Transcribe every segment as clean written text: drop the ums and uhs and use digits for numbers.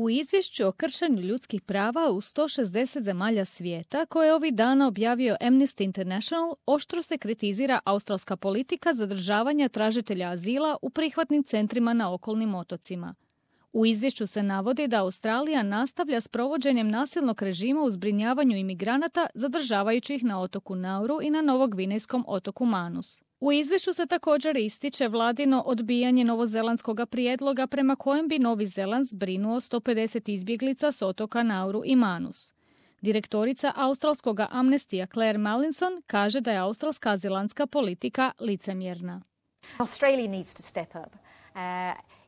U izvješću o kršenju ljudskih prava u 160 zemalja svijeta, koje je ovih dana objavio Amnesty International, oštro se kritizira australska politika zadržavanja tražitelja azila u prihvatnim centrima na okolnim otocima. U izvješću se navodi da Australija nastavlja s provođenjem nasilnog režima u zbrinjavanju imigranata, zadržavajući ih na otoku Nauru i na novogvinejskom otoku Manus. U izvješću se također ističe vladino odbijanje novozelandskog prijedloga prema kojem bi Novi Zeland zbrinuo 150 izbjeglica s otoka Nauru i Manus. Direktorica australskog Amnestija Claire Mallinson kaže da je australska azilantska politika licemjerna. Australia needs to step up.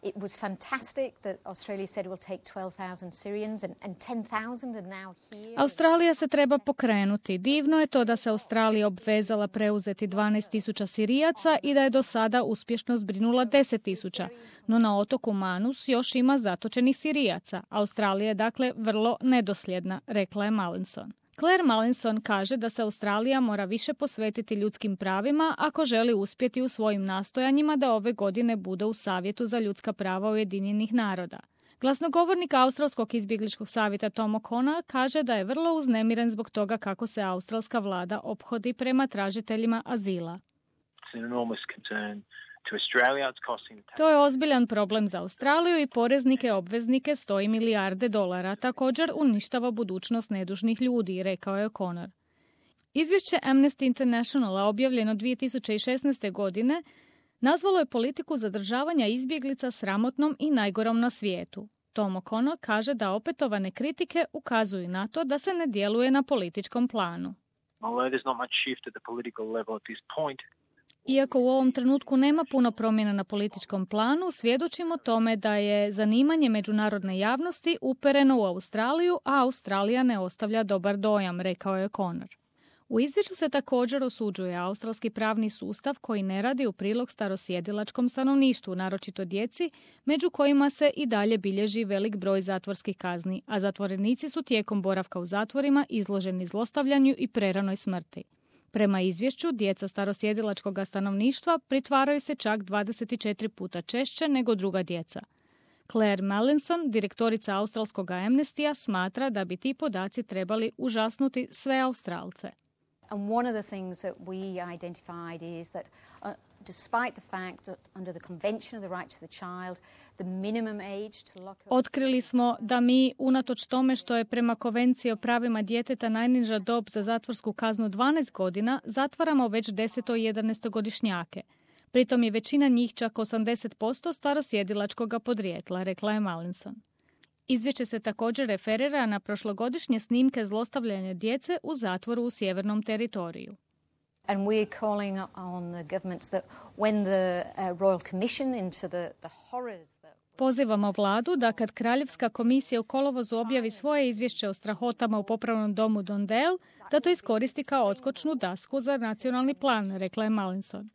It was fantastic that Australia said we'll take 12,000 Syrians and 10,000 are now here. Australija se treba pokrenuti. Divno je to da se Australija obvezala preuzeti 12,000 Sirijaca i da je do sada uspješno zbrinula 10,000. No na otoku Manus još ima zatočenih Sirijaca. Australija je dakle vrlo nedosljedna, rekla je Mallinson. Claire Mallinson kaže da se Australija mora više posvetiti ljudskim pravima ako želi uspjeti u svojim nastojanjima da ove godine bude u Savjetu za ljudska prava Ujedinjenih naroda. Glasnogovornik Australskog izbjegličkog savjeta Tom O'Connor kaže da je vrlo uznemiren zbog toga kako se australska vlada ophodi prema tražiteljima azila. To je ozbiljan problem za Australiju i poreznike obveznike $100 milijarde. Također uništava budućnost nedužnih ljudi, rekao je O'Connor. Izvješće Amnesty Internationala objavljeno 2016. godine nazvalo je politiku zadržavanja izbjeglica sramotnom i najgorom na svijetu. Tom O'Connor kaže da opetovane kritike ukazuju na to da se ne djeluje na političkom planu. Iako u ovom trenutku nema puno promjena na političkom planu, svjedočimo tome da je zanimanje međunarodne javnosti upereno u Australiju, a Australija ne ostavlja dobar dojam, rekao je O'Connor. U izvješću se također osuđuje australski pravni sustav koji ne radi u prilog starosjedilačkom stanovništvu, naročito djeci, među kojima se i dalje bilježi velik broj zatvorskih kazni, a zatvorenici su tijekom boravka u zatvorima izloženi zlostavljanju i preranoj smrti. Prema izvješću, djeca starosjedilačkog stanovništva pritvaraju se čak 24 puta češće nego druga djeca. Claire Mallinson, direktorica australskog Amnestija, smatra da bi ti podaci trebali užasnuti sve Australce. And one of the things that we identified is that despite the fact that under the Convention of the Right to the Child, the minimum age to lock up... Otkrili smo da mi, unatoč tome što je prema Konvenciji o pravima djeteta najniža dob za zatvorsku kaznu 12 godina, zatvaramo već 10. i 11-godišnjake. Pritom je većina njih čak 80% starosjedilačkog podrijetla, rekla je Mallinson. Izvješće se također referira na prošlogodišnje snimke zlostavljanja djece u zatvoru u Sjevernom teritoriju. And we are calling on the government that when the Royal Commission into the horrors that... Pozivamo vladu da kad Kraljevska komisija u kolovozu objavi svoje izvješće o strahotama u popravnom domu Dondale, da to iskoristi kao odskočnu dasku za nacionalni plan, rekla je Mallinson.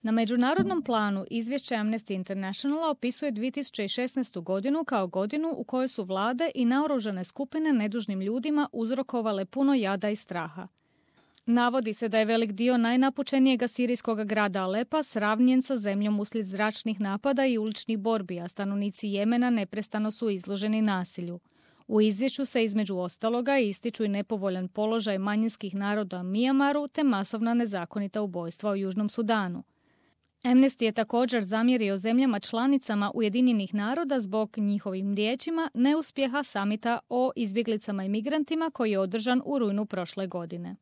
Na međunarodnom planu izvješće Amnesty Internationala opisuje 2016. godinu kao godinu u kojoj su vlade i naoružane skupine nedužnim ljudima uzrokovale puno jada i straha. Navodi se da je velik dio najnapučenijega sirijskog grada Alepa sravnjen sa zemljom uslijed zračnih napada i uličnih borbi, a stanovnici Jemena neprestano su izloženi nasilju. U izvješću se između ostaloga ističu i nepovoljan položaj manjinskih naroda u Mijamaru te masovna nezakonita ubojstva u Južnom Sudanu. Amnesty je također zamjerio zemljama članicama Ujedinjenih naroda zbog njihovim riječima neuspjeha samita o izbjeglicama i migrantima koji je održan u rujnu prošle godine.